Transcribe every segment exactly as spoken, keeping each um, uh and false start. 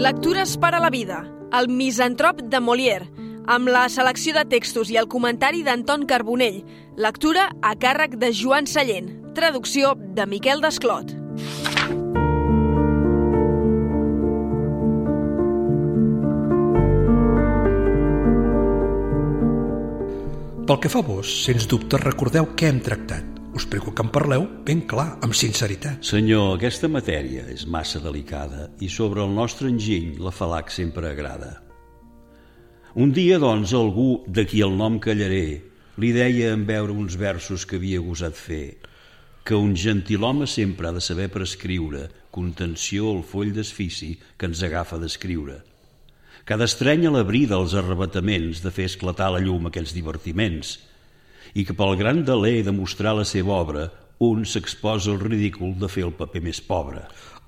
Lectures per a la vida, el Misantrop de Molière, amb la selecció de textos i el comentari d'Anton Carbonell, lectura a càrrec de Joan Sallent, traducció de Miquel Desclot. Pel que fa a vos, sens dubte recordeu què hem tractat. Us prego que en parleu ben clar, amb sinceritat. Senyor, aquesta matèria és massa delicada i sobre el nostre enginy la falac sempre agrada. Un dia, doncs, algú de qui el nom callaré li deia en veure uns versos que havia gosat fer que un gentilhome sempre ha de saber prescriure contenció al foll d'esfici que ens agafa d'escriure, que ha d'estrènyer la brida als arrebataments de fer esclatar la llum aquells divertiments, i que pel gran deler de mostrar la seva obra un s'exposa al ridícul de fer el paper més pobre.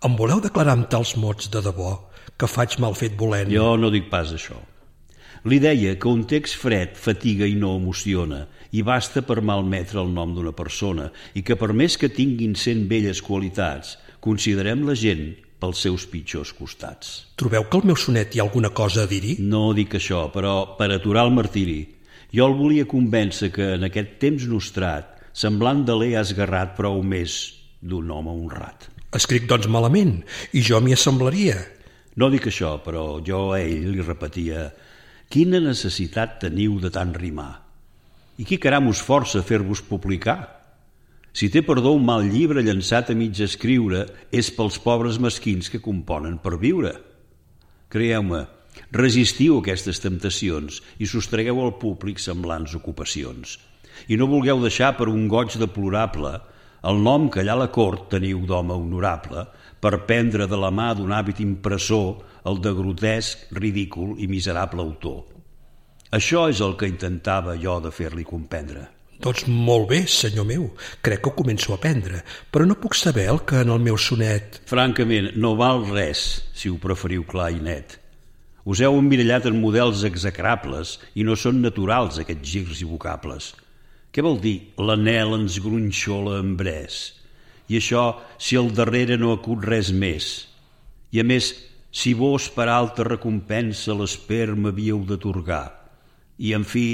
Em voleu declarar amb tals mots de debò que faig mal fet volent? Jo no dic pas això. Li deia que un text fred fatiga i no emociona i basta per malmetre el nom d'una persona i que per més que tinguin cent belles qualitats, considerem la gent pels seus pitjors costats. Trobeu que el meu sonet hi ha alguna cosa a dir-hi? No dic això, però per aturar el martiri, jo el volia convèncer que en aquest temps nostrat, semblant de l'he esgarrat prou més d'un home honrat. Escric doncs malament, i jo m'hi assemblaria. No dic això, però jo a ell li repetia: quina necessitat teniu de tant rimar? I qui caram us força a fer-vos publicar? Si té perdó un mal llibre llançat a mig escriure, és pels pobres mesquins que componen per viure. Creieu-me, resistiu aquestes temptacions i sostregueu al públic semblants ocupacions. I no vulgueu deixar per un goig deplorable el nom que allà a la cort teniu d'home honorable per prendre de la mà d'un hàbit impressor el de grotesc, ridícul i miserable autor. Això és el que intentava jo de fer-li comprendre. Doncs molt bé, senyor meu, crec que ho començo a aprendre, però no puc saber el que en el meu sonet... Francament, no val res, si ho preferiu clar i net. Us heu emmirallat en models execrables i no són naturals aquests girs i vocables. Què vol dir l'anel ens gronxola en bres? I això si al darrere no acut res més. I a més, si vos per alta recompensa l'esper m'havíeu d'atorgar. I en fi,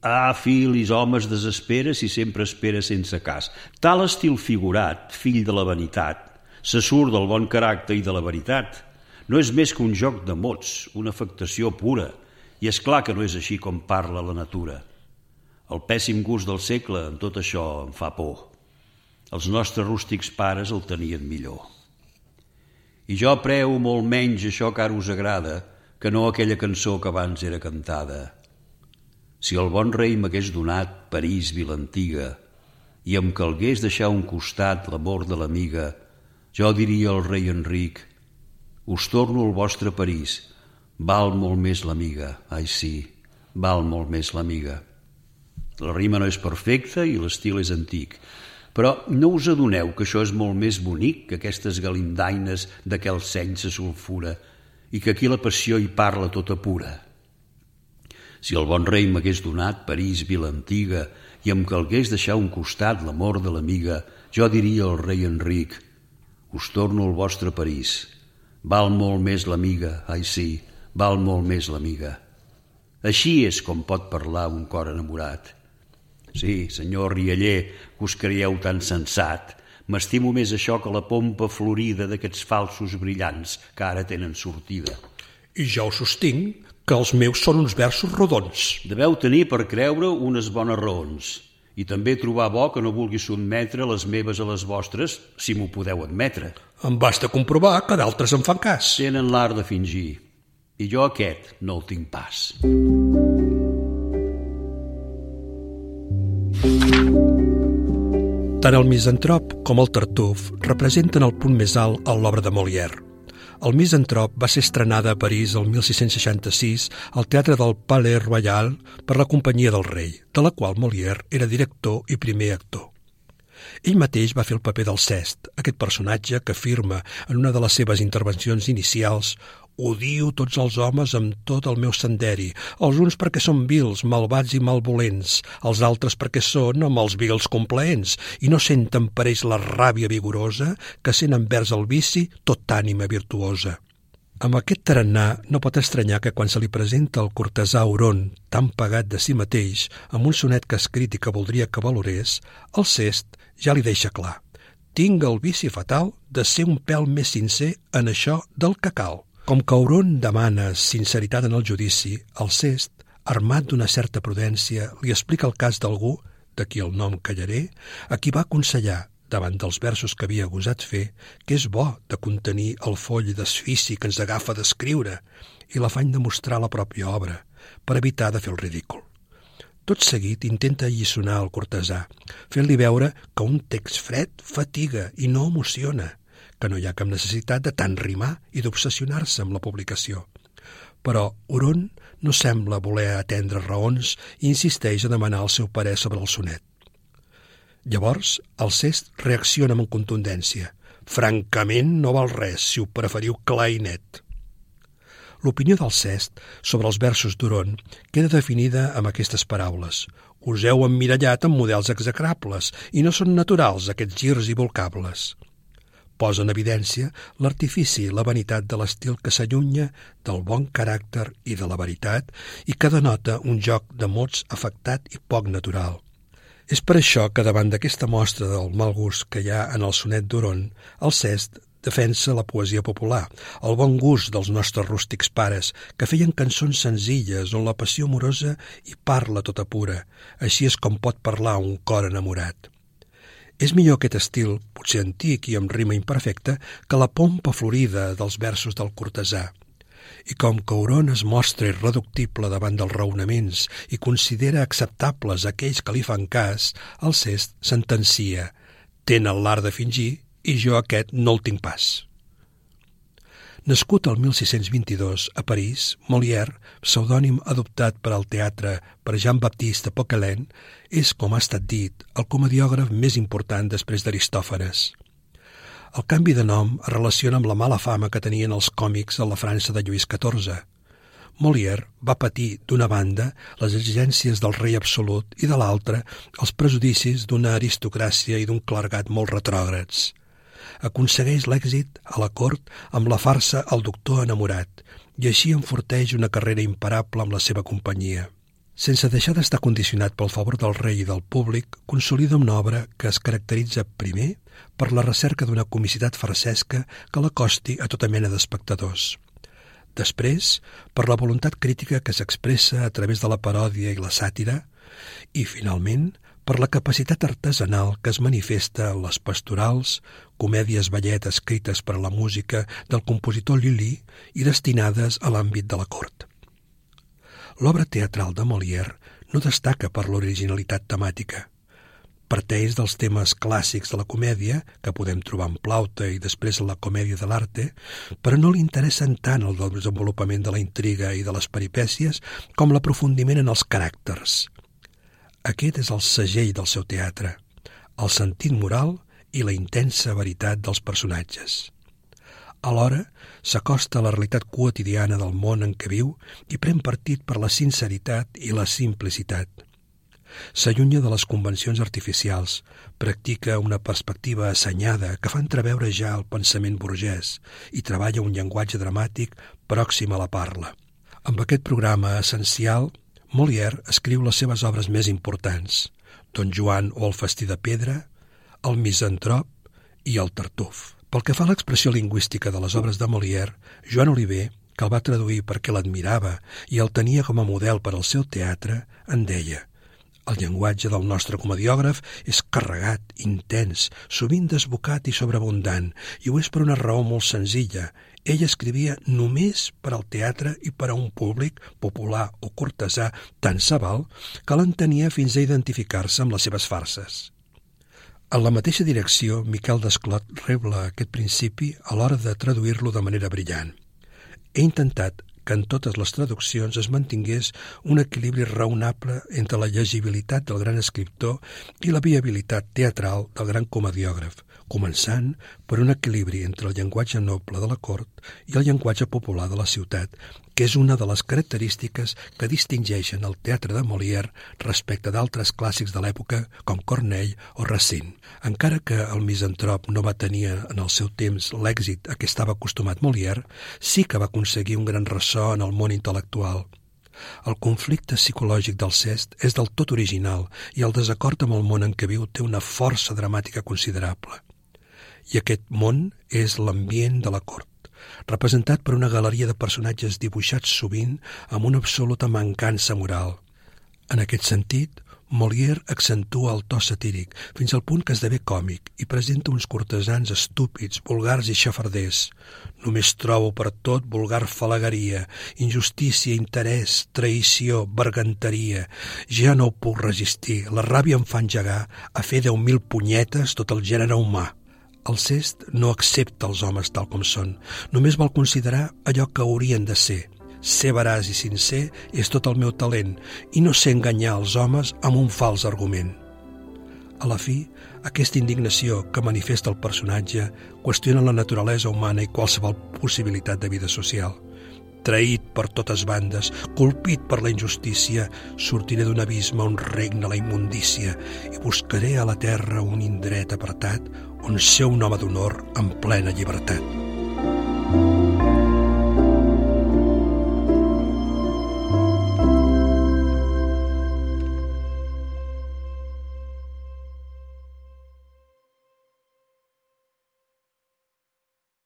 ah, filis, homes, desespera si sempre espera sense cas. Tal estil figurat, fill de la vanitat, se surt del bon caràcter i de la veritat. No és més que un joc de mots, una afectació pura, i és clar que no és així com parla la natura. El pèssim gust del segle en tot això em fa por. Els nostres rústics pares el tenien millor. I jo apreu molt menys això que ara us agrada que no aquella cançó que abans era cantada. Si el bon rei m'hagués donat París vila antiga i em calgués deixar a un costat l'amor de l'amiga, jo diria al rei Enric: us torno al vostre París, val molt més l'amiga, ai sí, val molt més l'amiga. La rima no és perfecta i l'estil és antic, però no us adoneu que això és molt més bonic que aquestes galindaines de què el seny se sulfura i que aquí la passió hi parla tota pura. Si el bon rei m'hagués donat París vila antiga i em calgués deixar a un costat l'amor de l'amiga, jo diria al rei Enric: us torno al vostre París, val molt més l'amiga, ai sí, val molt més l'amiga. Així és com pot parlar un cor enamorat. Sí, senyor rialler, que us creieu tan sensat, m'estimo més això que la pompa florida d'aquests falsos brillants que ara tenen sortida. I jo us sostinc que els meus són uns versos rodons. Deveu tenir per creure unes bones raons i també trobar bo que no vulgui sotmetre les meves a les vostres, si m'ho podeu admetre. Em basta comprovar que d'altres em fan cas. Tenen l'art de fingir, i jo aquest no el tinc pas. Tant el Misantrop com el Tartuf representen el punt més alt en l'obra de Molière. El Misantrop va ser estrenada a París el mil sis-cents seixanta-sis al Teatre del Palais Royal per la Companyia del Rei, de la qual Molière era director i primer actor. Ell mateix va fer el paper del Cest, aquest personatge que afirma en una de les seves intervencions inicials: odio tots els homes amb tot el meu senderi, els uns perquè són vils, malvats i malvolents, els altres perquè són amb els vils complaents, i no senten per ells la ràbia vigorosa que sent envers el vici tot ànima virtuosa. Amb aquest tarannà no pot estranyar que quan se li presenta el cortesà Huron tan pagat de si mateix amb un sonet que ha escrit i que voldria que valorés, Alcest ja li deixa clar: tinc el vici fatal de ser un pèl més sincer en això del que cal. Com que Huron demana sinceritat en el judici, Alcest, armat d'una certa prudència, li explica el cas d'algú, de qui el nom callaré, a qui va aconsellar, davant dels versos que havia gosat fer, que és bo de contenir el foll d'esfici que ens agafa d'escriure i l'afany de mostrar la pròpia obra, per evitar de fer el ridícul. Tot seguit intenta alliçonar el cortesà, fent-li veure que un text fred fatiga i no emociona, que no hi ha cap necessitat de tant rimar i d'obsessionar-se amb la publicació. Però Huron no sembla voler atendre raons i insisteix a demanar el seu parer sobre el sonet. Llavors, Alcest reacciona amb contundència: francament no val res, si ho preferiu clar i net. L'opinió d'Alcest sobre els versos d'Huron queda definida amb aquestes paraules: us heu emmirallat en models execrables i no són naturals aquests girs i volcables. Posa en evidència l'artifici i la vanitat de l'estil que s'allunya del bon caràcter i de la veritat i que denota un joc de mots afectat i poc natural. És per això que davant d'aquesta mostra del mal gust que hi ha en el sonet d'Huron, Alcest defensa la poesia popular, el bon gust dels nostres rústics pares, que feien cançons senzilles on la passió amorosa hi parla tota pura, així és com pot parlar un cor enamorat. És millor aquest estil, potser antic i amb rima imperfecta, que la pompa florida dels versos del cortesà. I com que Huron es mostra irreductible davant dels raonaments i considera acceptables aquells que li fan cas, Alcest sentencia: tenen l'art de fingir i jo aquest no el tinc pas. Nascut el mil sis-cents vint-i-dos a París, Molière, pseudònim adoptat per al teatre per Jean-Baptiste Poquelin, és, com ha estat dit, el comediògraf més important després d'Aristòfanes. El canvi de nom es relaciona amb la mala fama que tenien els còmics a la França de Lluís catorze. Molière va patir, d'una banda, les exigències del rei absolut i de l'altra, els prejudicis d'una aristocràcia i d'un clergat molt retrògrads. Aconsegueix l'èxit a la cort amb la farsa El doctor enamorat i així enforteix una carrera imparable amb la seva companyia. Sense deixar d'estar condicionat pel favor del rei i del públic, consolida una obra que es caracteritza, primer, per la recerca d'una comicitat farsesca que l'acosti a tota mena d'espectadors. Després, per la voluntat crítica que s'expressa a través de la paròdia i la sàtira, i, finalment, per la capacitat artesanal que es manifesta en les pastorals, comèdies ballet escrites per a la música del compositor Lully i destinades a l'àmbit de la cort. L'obra teatral de Molière no destaca per l'originalitat temàtica. Parteix dels temes clàssics de la comèdia, que podem trobar en Plaute i després en la comèdia de l'arte, però no li interessen tant el desenvolupament de la intriga i de les peripècies com l'aprofundiment en els caràcters. Aquest és el segell del seu teatre, el sentit moral i la intensa veritat dels personatges. Alhora, s'acosta a la realitat quotidiana del món en què viu i pren partit per la sinceritat i la simplicitat. S'allunya de les convencions artificials, practica una perspectiva assenyada que fa entreveure ja el pensament burgès i treballa un llenguatge dramàtic pròxim a la parla. Amb aquest programa essencial, Molière escriu les seves obres més importants: Don Joan o el festí de pedra, El misantrop i El tartuf. Pel que fa a l'expressió lingüística de les obres de Molière, Joan Oliver, que el va traduir perquè l'admirava i el tenia com a model per al seu teatre, en deia: el llenguatge del nostre comediògraf és carregat, intens, sovint desbocat i sobreabundant, i ho és per una raó molt senzilla. Ell escrivia només per al teatre i per a un públic, popular o cortesà, tan sabal que l'entenia fins a identificar-se amb les seves farses. En la mateixa direcció, Miquel Desclot rebla aquest principi a l'hora de traduir-lo de manera brillant. He intentat que en totes les traduccions es mantingués un equilibri raonable entre la llegibilitat del gran escriptor i la viabilitat teatral del gran comediògraf, començant per un equilibri entre el llenguatge noble de la cort i el llenguatge popular de la ciutat, que és una de les característiques que distingeixen el teatre de Molière respecte d'altres clàssics de l'època com Corneille o Racine. Encara que el misantrop no va tenir en el seu temps l'èxit a què estava acostumat Molière, sí que va aconseguir un gran ressò en el món intel·lectual. El conflicte psicològic d'Alceste és del tot original i el desacord amb el món en què viu té una força dramàtica considerable. I aquest món és l'ambient de la cort, representat per una galeria de personatges dibuixats sovint amb una absoluta mancança moral. En aquest sentit, Molière accentua el to satíric fins al punt que esdevé còmic i presenta uns cortesans estúpids, vulgars i xafarders. Només trobo per tot vulgar falagueria, injustícia, interès, traïció, berganteria. Ja no ho puc resistir, la ràbia em fa engegar a fer deu mil punyetes tot el gènere humà. Alceste no accepta els homes tal com són, només vol considerar allò que haurien de ser. Ser veraç i sincer és tot el meu talent i no sé enganyar els homes amb un fals argument. A la fi, aquesta indignació que manifesta el personatge qüestiona la naturalesa humana i qualsevol possibilitat de vida social. Traït per totes bandes, colpit per la injustícia, sortiré d'un abisme on regna la immundícia i buscaré a la terra un indret apartat on ser un home d'honor en plena llibertat.